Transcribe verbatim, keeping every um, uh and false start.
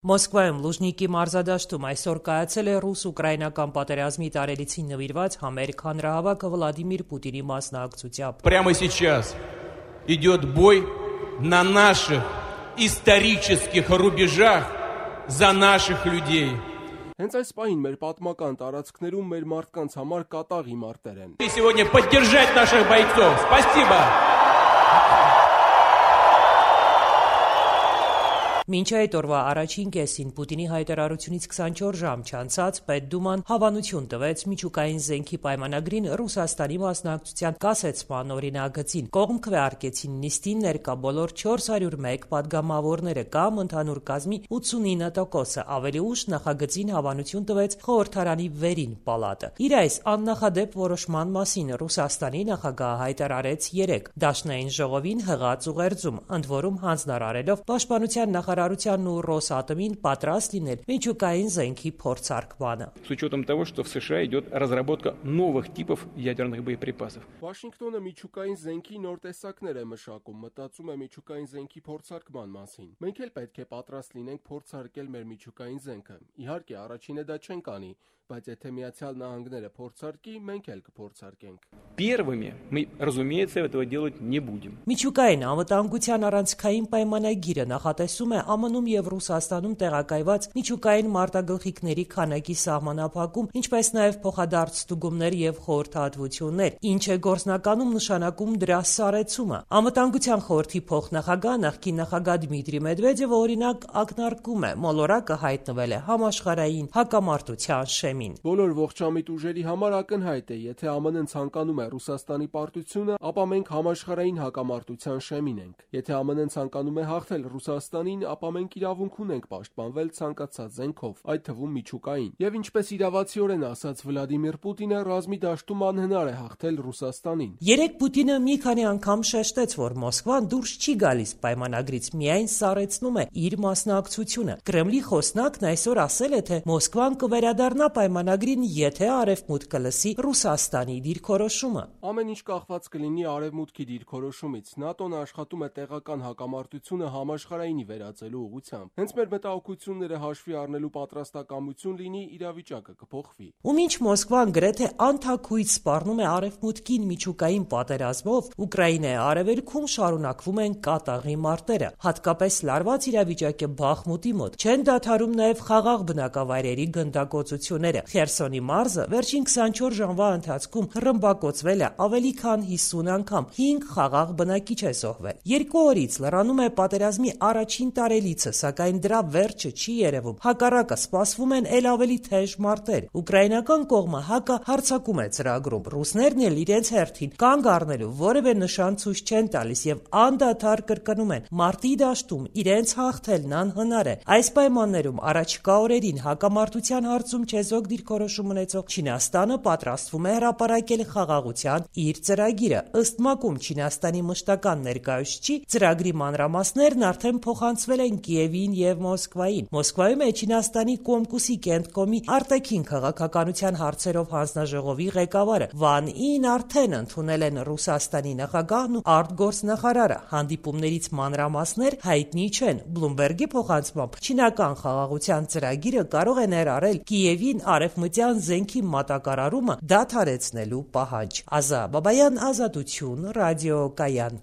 Մոսկվայում Լուժնիկի մարզադաշտում այսօր կայացել է ռուս-ուկրաինական պատերազմի տարելիցին նվիրված համերգ հանրահավաքը Վլադիմիր Պուտինի մասնակցությամբ։ Прямо сейчас идет бой на наших исторических рубежах за наших людей. Հենց այս պահին մեր պատմական տարածքներում մեր մարդկանց համար կատաղի մարտեր են։ И сегодня поддержать наших бойцов. Спасибо. Մինչ այդ օրվա առաջին կեսին Պուտինի հայտարարությունից քսանչորս ժամ չանցած Պետդուման հավանություն տվեց միջուկային զենքի պայմանագրին Ռուսաստանի մասնակցության կասեցման օրինագծին։ Կողմ քվեարկեցին նիստին ներկա բոլոր չորս հարյուր մեկ պատգամավորները կամ ընդհանուր կազմի ութսունինը տոկոսը, ավելի ուշ նախագծին հավանություն տվեց խորհրդարանի վերին պալատը։ Իր այս աննախադեպ որոշման մասին Ռուսաստանի նախագահը հայտարարեց երեկ Դաշնային ժողովին հղած ուղերձում, ընդ որում հանձնարարելով պաշտպանության նախարարության ու Ռոսատոմին պատրաստ լինել միջուկային զենքի փորձարկմանը։ С учетом того, что в США идет разработка новых типов ядерных боеприпасов. Վաշինգտոնը միջուկային զենքի նոր տեսակներ է մշակում, մտածում է միջուկային զենքի փորձարկման մասին։ Մենք էլ պետք է պատրաստ լինենք փորձարկել մեր միջուկային զենքը։ Իհարկե, առաջինը դա չենք անի, բայց եթե Միացյալ Նահանգները փորձարկի, մենք էլ կփորձարկենք։ Первыми мы, разумеется, этого делать не будем. Միջուկային անվտանգության առանցքային պայմանագիրը նախատեսում է ԱՄՆ-ում եւ Ռուսաստանում տեղակայված միջուկային մարտագլխիկների քանակի սահմանափակում, ինչպես նաեւ փոխադարձ ստուգումներ եւ խորհրդատվություններ, ինչը գործնականում նշանակում դրա սարեցումը։ Անվտանգության խորհրդի փոխնախագահ նախկին նախագահ Դմիտրի Մեդվեդևը օրինակ ակնարկում է, մոլորակը հայտնվել է համաշխարհային հակամարտության շեմին։ Բոլոր ողջամիտ ուժերի համար ակնհայտ է, եթե ԱՄՆ-ն ցանկանում է Ռուսաստանի պարտությունը, ապա մենք համաշխարհային հակամարտության շեմին ենք։ Եթե ԱՄՆ-ն ցանկանում է հաղթել Ռուսաստանին, ապա մենք իրավունք ունենք պաշտպանվել ցանկացած զենքով, այդ թվում միջուկային։ Եվ ինչպես իրավացիորեն ասաց Վլադիմիր Պուտինը, ռազմի դաշտում անհնար է հաղթել Ռուսաստանին։ Երեկ Պուտինը մի քանի անգամ շեշտեց, որ Մոսկվան դուրս չի գալիս պայմանագրից, միայն սառեցնում է իր մասնակցությունը։ Կրեմլի խոսնակն այսօր ասել է, թե Մոսկվան կվերադառնա պայմանագրին, եթե Արևմուտքը լսի Ռուսաստանի դիրքորոշումը։ Ամեն ինչ կախված կլինի Արևմուտքի դիրքորոշումից։ ՆԱՏՕ-ն աշխատում է տեղական հակամարտությունը համաշխարհայինի վերածելու ուղղությամբ։ Հենց մեր մտահոգությունները հաշվի առնելու պատրաստակամություն լինի, իրավիճակը կփոխվի։ Ու մինչ Մոսկվան գրեթե անթաքույց սպառնում է Արևմուտքին միջուկային պատերազմով, Ուկրաինայի արևելքում շարունակվում են կատաղի մարտերը։ Հատկապես լարված իրավիճակ է Բախմուտի մոտ։ Չեն դադարում նաև խաղաղ բնակավայրերի գնդակոծությունները։ Խերսոնի մարզը վերջին քսանչորս ժամվա ընթացքում ռմբակոծվել է ավելի քան հիսուն անգամ, հինգ խաղաղ բնակիչ է զոհվել։ Երկու օրից լրանում է պատերազմի առաջին տարելիցը, սակայն դրա վերջը չի երևում։ Հակառակը սպասվում են ել ավելի թեժ մարտեր։ Ուկրաինական կողմը հակահարձակում է ծրագրում։ Ռուսներն էլ իրենց հերթին կանգ առնելու որևէ նշան ցույց չեն տալիս եւ անդադար կրկնում են՝ մարտի դաշտում իրենց հաղթելն անհնար է։ Այս պայմաններում առաջիկա օրերին հակամարտության հարցում չեզոք դիրքորոշում ունեցող Չինաստանը պատրաստվում է հրապարակել խաղաղության իր ծրագիրը։ Ըստ ՄԱԿ-ում Չինաստանի մշտական ներկայացուցիչի ծրագրի մանրամասներն արդեն փոխանցվել են Կիևին եւ Մոսկվային։ Մոսկվայում է Չինաստանի Կոմկուսի կենտկոմի արտաքին քաղաքականության հարցերով հանձնաժողովի ղեկավարը։ Վան Ին արդեն ընդունել են Ռուսաստանի նախագահն ու արտգործնախարարը։ Հանդիպումներից մանրամասներ հայտնի չեն։ Բլումբերգի փոխանցմամբ չինական խաղաղության ծրագիրը կարող է ներառել Կիևին արևմտյան զենքի մատակարարումը դադարեցնելու պահանջ։ Ազա Բաբայան, Ազատություն, ռադիոկայան։